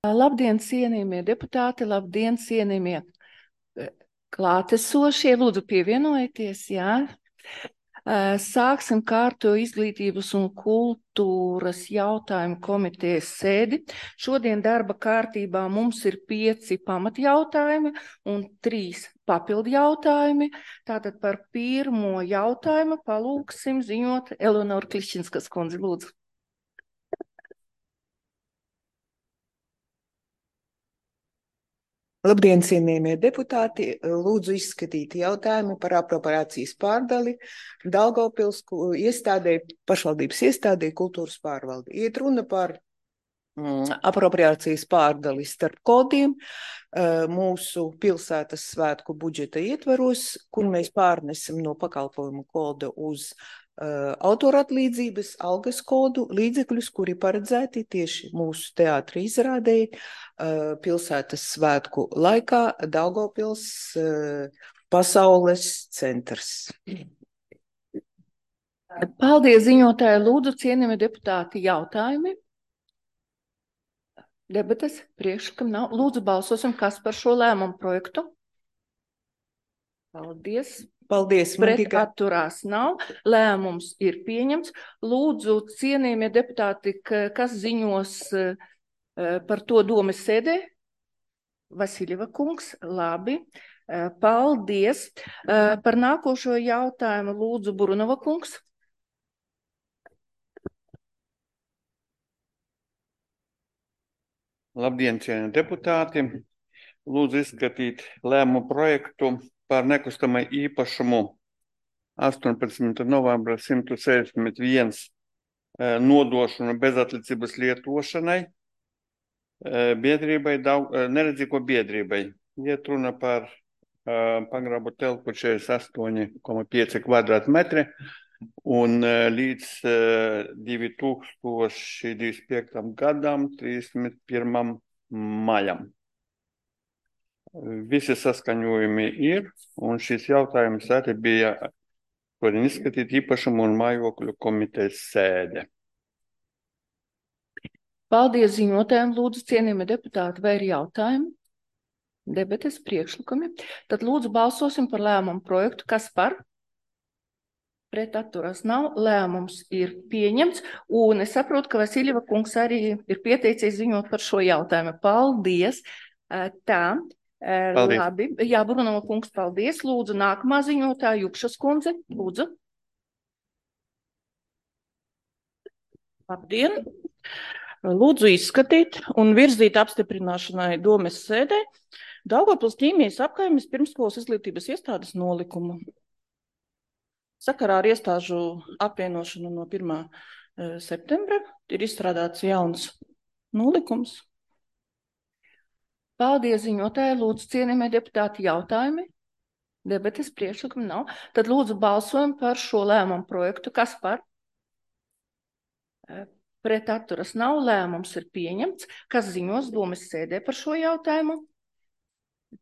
Labdien, cienījamie deputāti, labdien, cienījamie klātesošie, lūdzu pievienojieties, jā. Sāksim kārto izglītības un kultūras jautājumu komitejas sēdi. Šodien darba kārtībā mums ir 5 pamatjautājumi un 3 papildu jautājumi. Tātad par pirmo jautājumu palūksim ziņot Eleonoru Klišķinskas kundzi, lūdzu. Labdien, cienījamie deputāti! Lūdzu izskatīt jautājumu par apropriācijas pārdali Daugavpils iestādē, pašvaldības iestādē kultūras pārvaldi. Iet runa par apropriācijas pārdali starp kodiem mūsu pilsētas svētku budžeta ietvaros, kur mēs pārnesam no pakalpojumu koda uz autoratlīdzības, algas kodu līdzekļus, kuri paredzēti tieši mūsu teātra izrādēji pilsētas svētku laikā Daugavpils pasaules centrs. Paldies, ziņotāji. Lūdzu, cienījamie deputāti, jautājumi. Debates priekšlikam nav. Lūdzu, balsosim, kas par šo lēmumu projektu. Paldies. Paldies, Pret atturās nav. Lēmums ir pieņemts. Lūdzu, cienījamie deputāti, kas ziņos par to domes sēdē? Vasiljeva kungs, labi. Paldies. Par nākošo jautājumu lūdzu Burunova kungs. Labdien, cienījamie deputāti! Lūdzu izskatīt lēmumu projektu par nekustamai īpašumu 18. novembra 161 nodošanu bezatlicības lietošanai biedrībai, neredzīgo biedrībai. Iet runa par pagrabu telpu 48,5 kvadrātmetri un līdz 2025. gadam 31. maijam. Visi saskaņojumi ir, un šis jautājums arī bija šodien izskatīt īpašumu un mājokļu komitejas sēde. Paldies ziņotājiem, lūdzu, cienījamie deputāti, vai ir jautājumi? Debates priekšlikumi. Tad lūdzu balsosim par lēmumu projektu. Kas par? Pret atturas nav. Lēmums ir pieņemts, un es saprotu, ka Vasiljeva kungs arī ir pieteicies ziņot par šo jautājumu. Paldies! Tā. Paldies. Labi, jā, Brunova kungs, paldies. Lūdzu, nākamā ziņotāja Jupšas kundze, lūdzu. Labdien! Lūdzu izskatīt un virzīt apstiprināšanai domes sēdē Daugavpils ķīmijas apkaimes pirmskolas izglītības iestādes nolikumu. Sakarā ar iestāžu apvienošanu no 1. septembra ir izstrādāts jauns nolikums. Paldies, ziņotāji. Lūdzu, cienījamie deputāti, jautājumi. Debates priekšlikumi nav. Tad lūdzu balsojam par šo lēmumu projektu. Kas par? Pret atturas nav. Lēmums ir pieņemts. Kas ziņos domes sēdē par šo jautājumu?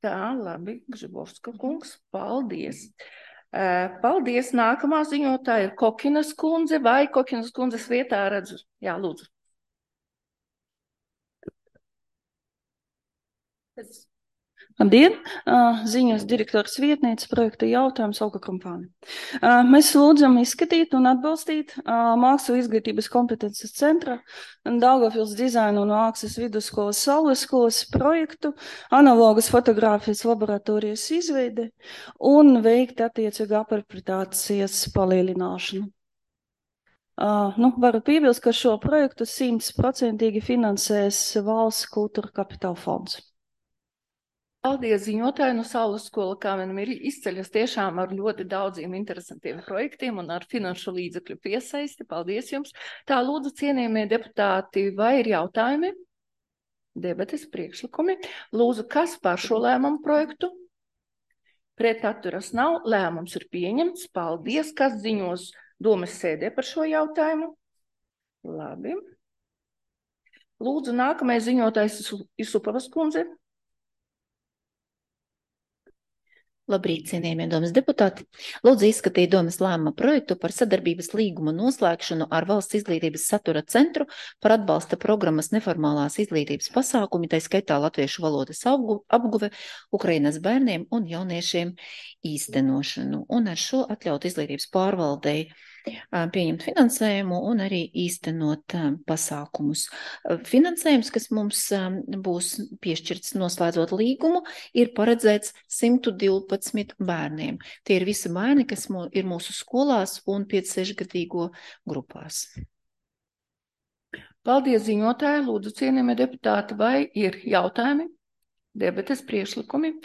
Tā, labi, Gžibovska kungs. Paldies. Paldies. Nākamā ziņotāja ir Kokinas kundze vai Kokinas kundzes vietā redzu? Jā, lūdzu. Labdien! Ziņas direktors vietniece projekta jautājums Olga Kampāne. Mēs lūdzam izskatīt un atbalstīt mākslu izglītības kompetences centra Daugavpils dizaina un mākslas vidusskolas Saules skolas projektu analogas fotogrāfijas laboratorijas izveide un veikt attiecīgu apropriācijas palielināšanu. Varu piebilst, ka šo projektu 100% finansēs Valsts kultūra kapitāla fonds. Paldies, ziņotāji. No Saules skola, kā vienam ir izceļas tiešām ar ļoti daudziem interesantiem projektiem un ar finanšu līdzekļu piesaisti. Paldies jums. Tā, lūdzu, cienījamie deputāti, vai ir jautājumi? Debates priekšlikumi. Lūdzu, kas par šo lēmumu projektu? Pret atturas nav. Lēmums ir pieņemts. Paldies. Kas ziņos domes sēdē par šo jautājumu? Labi. Lūdzu, nākamais ziņotājs ir Supavas kundze. Labrīt, cienījamie domas deputāti. Lūdzu izskatīt domas lēmuma projektu par sadarbības līguma noslēgšanu ar Valsts izglītības satura centru par atbalsta programmas neformālās izglītības pasākumi, tai skaitā latviešu valodas apguve Ukrainas bērniem un jauniešiem īstenošanu. Un ar šo atļaut izglītības pārvaldei pieņemt finansējumu un arī īstenot pasākumus. Finansējums, kas mums būs piešķirts noslēdzot līgumu, ir paredzēts 112 bērniem. Tie ir visi bērni, kas ir mūsu skolās un 5-6-gadīgo grupās. Paldies, ziņotāji. Lūdzu, cienījamie deputāti, vai ir jautājumi, debates, priekšlikumi?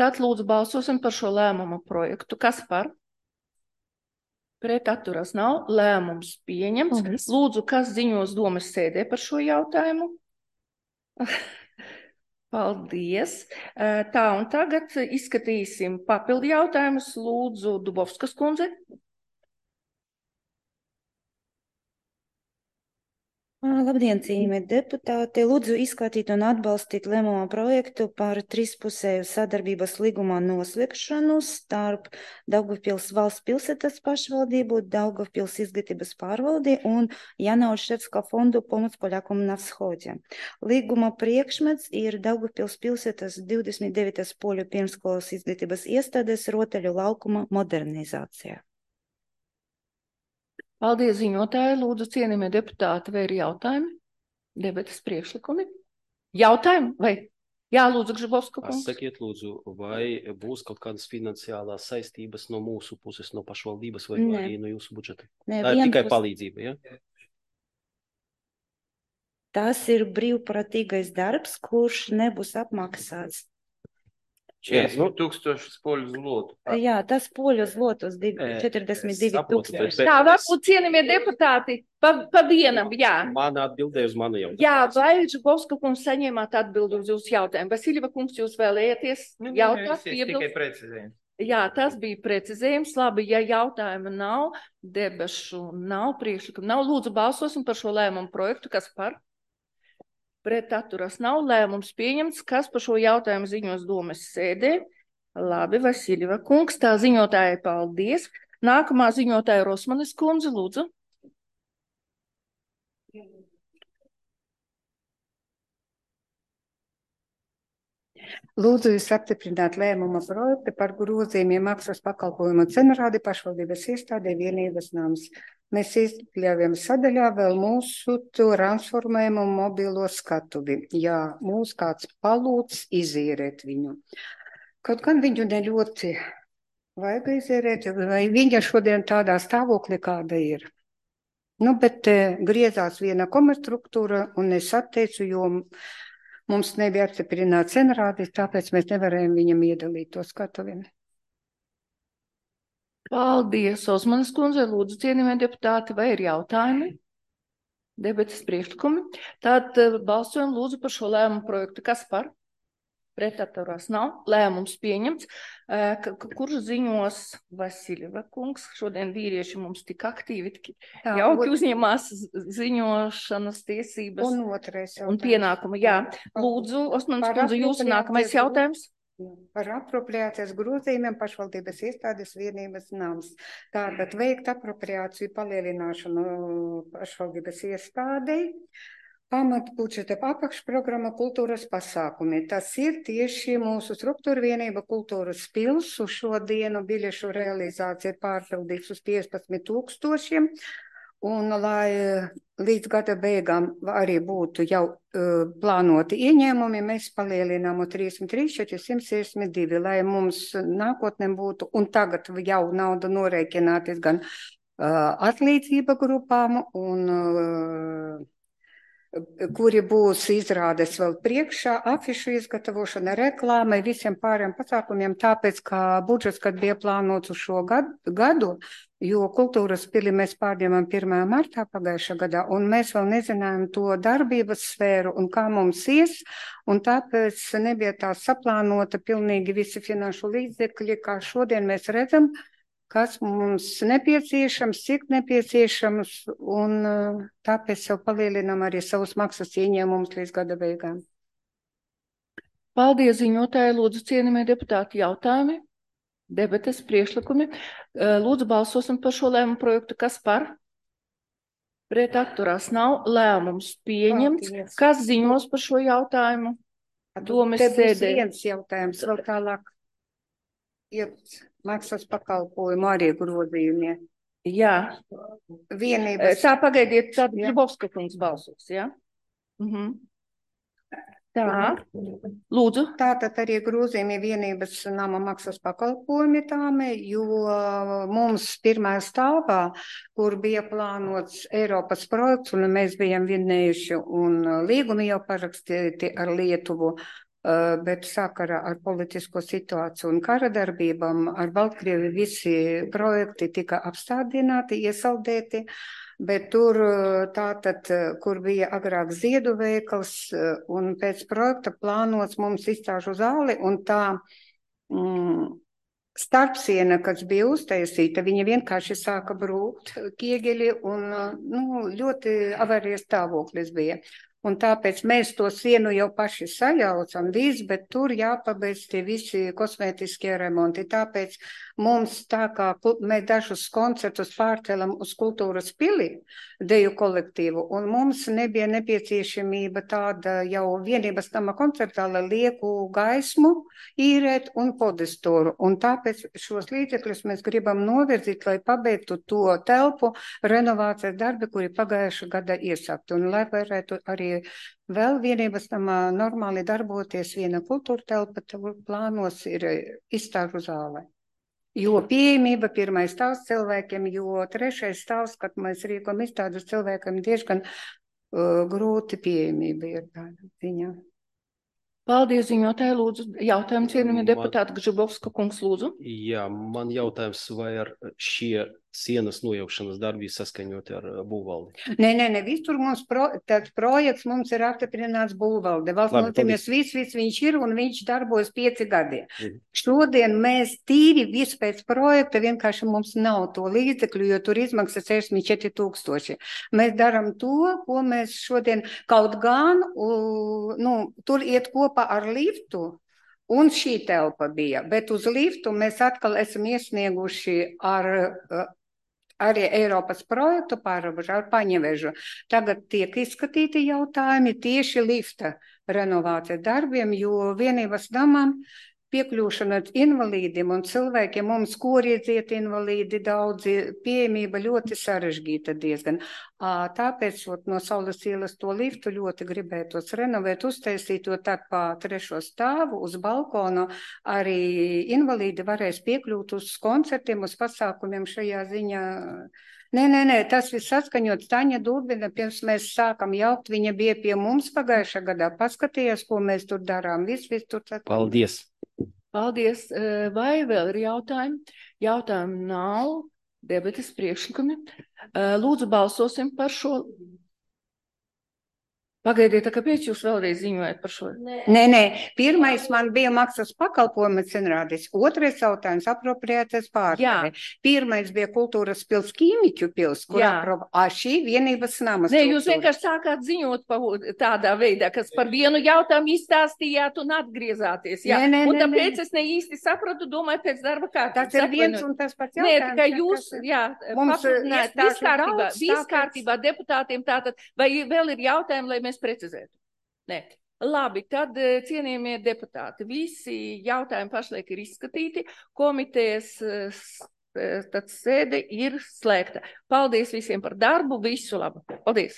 Tad lūdzu balsosim par šo lēmumu projektu. Kas par? Pret atturas nav. Lēmums pieņemts. Paldies. Lūdzu, kas ziņos domas sēdē par šo jautājumu? Paldies. Tā, un tagad izskatīsim papildu jautājumus. Lūdzu, Dubovskas kundze. Labdien, cienījamie deputāti! Lūdzu izskatīt un atbalstīt lēmumu projektu par trīspusēju sadarbības līgumā noslēgšanu starp Daugavpils valsts pilsētas pašvaldību, Daugavpils izglītības pārvaldi un Janauševska fondu Pomoc Poļakum na Vschodě. Līguma priekšmets ir Daugavpils pilsētas 29. poļu pirmskolas izglītības iestādes rotaļu laukuma modernizācija. Paldies, ziņotāji. Lūdzu, cienījamie deputāti, vai ir jautājumi? Debates, priekšlikumi? Jautājumi? Vai? Jā, lūdzu, Gžibovska kungs. Sakiet, lūdzu, vai būs kaut kādas finansiālās saistības no mūsu puses, no pašvaldības vai arī no jūsu budžeta? Nē, Tā ir tikai palīdzība, ja? Tas ir brīvprātīgais darbs, kurš nebūs apmaksāts. 40,000 poļu zlotu. Jā, tas poļu zlotus 42,000. Tā, varbūt cienījamie deputāti, pa vienam, jā. Mana atbildēja uz manu jautājumu. Jā, vai Gžibovska kungs saņēmāt atbildi uz jūsu jautājumu? Vasiljeva kungs, jūs vēlējaties jautāt? Tikai precizējums. Jā, tas bija precizējums. Labi, ja jautājuma nav, debašu nav, priekšlikumu nav. Lūdzu, balsosim par šo lēmumu projektu. Kas par? Pret atturas nav. Lēmums pieņemts. Kas par šo jautājumu ziņos domas sēdē? Labi, Vasiljeva kungs. Tā ziņotāja, paldies. Nākamā ziņotāja Rosmanis kundze, lūdzu. Lūdzu jūs apstiprināt lēmuma projektu par grozījumiem maksas pakalpojumu cenrādi pašvaldības iestādē vienības nams. Mēs iekļāvjam sadaļā vēl mūsu transformējumu mobilo skatuvi. Jā, mūs kāds palūdz izīrēt viņu. Kaut gan viņu neļoti vajag izīrēt, vai viņa šodien tādā stāvoklī, kāda ir. Nu, bet griezās viena komerstruktūra un es atteicu, jo mums nebija apstiprināts cenrādis, tāpēc mēs nevarējām viņam iedalīt to skatuvi. Paldies, Osmanis kundze. Lūdzu, cienījamie deputāti, vai ir jautājumi? Debates, priekšlikumi. Tad balsojam lūdzu par šo lēmumu projektu. Kas par? Pret atturās nav. Lēmums pieņemts. Kurš ziņos Vasiljeva kungs? Šodien vīrieši mums tik aktīvi, tik jauki uzņemās ziņošanas tiesības un pienākumu. Jā, lūdzu, Osmanis kundze, jūsu nākamais jautājums. Par apropriācijas grozījumiem pašvaldības iestādes vienības nams. Tātad veikt apropriāciju palielināšanu pašvaldības iestādei. Pamatbudžeta apakšprogramma kultūras pasākumi. Tas ir tieši mūsu struktūra vienība kultūras pils. Uz šo dienu biļešu realizācija ir pārpildīts uz 15,000. Un, lai līdz gada beigām arī būtu jau plānoti ieņēmumi, mēs palielinām 33,462, lai mums nākotnē būtu, un tagad jau nauda norēķināties gan atlīdzība grupām, un kuri būs izrādes vēl priekšā, afišu izgatavošana, reklāma, visiem pārējiem pasākumiem, tāpēc, ka budžets, kad bija plānots uz šo gadu, jo kultūras pili mēs pārņemam 1. martā pagājušā gadā, un mēs vēl nezinājām to darbības sfēru un kā mums ies, un tāpēc nebija tā saplānota pilnīgi visi finanšu līdzekļi, kā šodien mēs redzam, kas mums nepieciešams, cik nepieciešams, un tāpēc jau palielinam arī savus maksas ieņēmumus līdz gada beigām. Paldies, ziņotāji. Lūdzu, cienījamie deputāti, jautājumi. Debates priekšlikumi. Lūdzu, balsosim par šo lēmumu projektu. Kas par? Pret atturās nav. Lēmums pieņemts. Paldies. Kas ziņos par šo jautājumu? Domes Te būs sēdē. viens jautājums vēl tālāk. Ir maksas pakalpojumu arī grozījumie. Jā. Vienības. Tā pagaidiet, tad Jā. Gribovska kungs balsos, jā? Tā. Lūdzu. Tātad arī grozījumi vienības nama maksas pakalpojumi tāmi, jo mums pirmajā stāvā, kur bija plānots Eiropas projekts, un mēs bijām vienējuši, un līgumi jau parakstīti ar Lietuvu, bet sakarā ar politisko situāciju un kara darbībām ar Baltkrievi visi projekti tika apstādināti, iesaldēti. Bet tur tātad, kur bija agrāk ziedu veikals, un pēc projekta plānots mums izstāžu zāli, un tā starpsiena, kas bija uztaisīta, viņa vienkārši sāka brūkt kiegeli, un ļoti avarijas stāvoklis bija. Un tāpēc mēs to sienu jau paši sajaucam visu, bet tur jāpabeidz tie visi kosmētiskie remonti. Tāpēc mums tā kā mēs dažus koncertus pārcēlam uz kultūras pili, deju kolektīvu, un mums nebija nepieciešamība tāda jau vienības nama koncertā, lai lieku gaismu īrēt un podestoru. Un tāpēc šos līdzekļus mēs gribam novirzīt, lai pabeigtu to telpu renovācijas darbi, kuri pagājuša gada iesākti. Un lai varētu arī vēl vienības namā normāli darboties viena kultūra telpa, plānos ir izstāžu zāle. Jo pieejamība pirmais stāvs cilvēkiem, jo trešais stāvs, kad mēs rīkam izstādus cilvēkiem, diezgan grūti pieejamība ir tāda ziņā. Paldies, ziņotāji, lūdzu. Jautājums cienījamie deputāti Gžibovska kungs, lūdzu. Jā, man jautājums, vai ar šie sienas nojaukšanas darbi saskaņoti ar būvvaldi? Nē, visur mums projekts mums ir apstiprināts būvvalde. Valsts nozīmēs viss viņš ir un viņš darbojas 5 gadi. Šodien mēs tīri visu pēc projekta, vienkārši mums nav to līdzekļu, jo tur izmaksas 64 000. Mēs daram to, ko mēs šodien kaut gan, tur iet kopā ar liftu. Un šī telpa bija, bet uz liftu mēs atkal esam iesnieguši arī Eiropas projektu pārobežu ar Paņevežu. Tagad tiek izskatīti jautājumi tieši lifta renovācijas darbiem, jo vienības namam piekļūšana invalīdiem un cilvēkiem mums koriedziet invalīdi daudzi, pieejamība ļoti sarežģīta diezgan. Tāpēc no Saules ielas to liftu ļoti gribētos renovēt, uztaisīt, jo tā pa 3. stāvu uz balkonu arī invalīdi varēs piekļūt uz koncertiem, uz pasākumiem šajā ziņā. Nē, tas viss saskaņots. Taņa Dūrbina, pirms mēs sākam jaukt, viņa bija pie mums pagājušā gadā, paskatījās, ko mēs tur darām. Viss tur saskaņots. Paldies! Paldies. Vai vēl ir jautājumi? Jautājumi nav. Debates priekšlikumi. Lūdzu, balsosim par šo. Pagaidiet, kāpēc jūs vēlreiz ziņojat par šo? Nē. Pirmais man bija maksas pakalpojuma cenrādis. Otrais jautājums apropriētais pārstāvi. Pirmais bija kultūras pils, Ķīmiķu pils, kur šī vienības namas. Nē, jūs vienkārši sākāt ziņot tādā veidā, kas par vienu jautājumu izstāstījāt un atgriezāties. Jā. Un tāpēc es ne īsti sapratu, domāju, pēc darba kārtības. Tas ir viens un tas pats jautājums. Nē, tikai jūs, viss kārtībā deputātiem tātad, vai vēl ir jautājumi, lai mēs precizētu? Nē. Labi, tad cienījamie deputāti, visi jautājumi pašlaik ir izskatīti, komitejas sēde ir slēgta. Paldies visiem par darbu, visu labu. Paldies!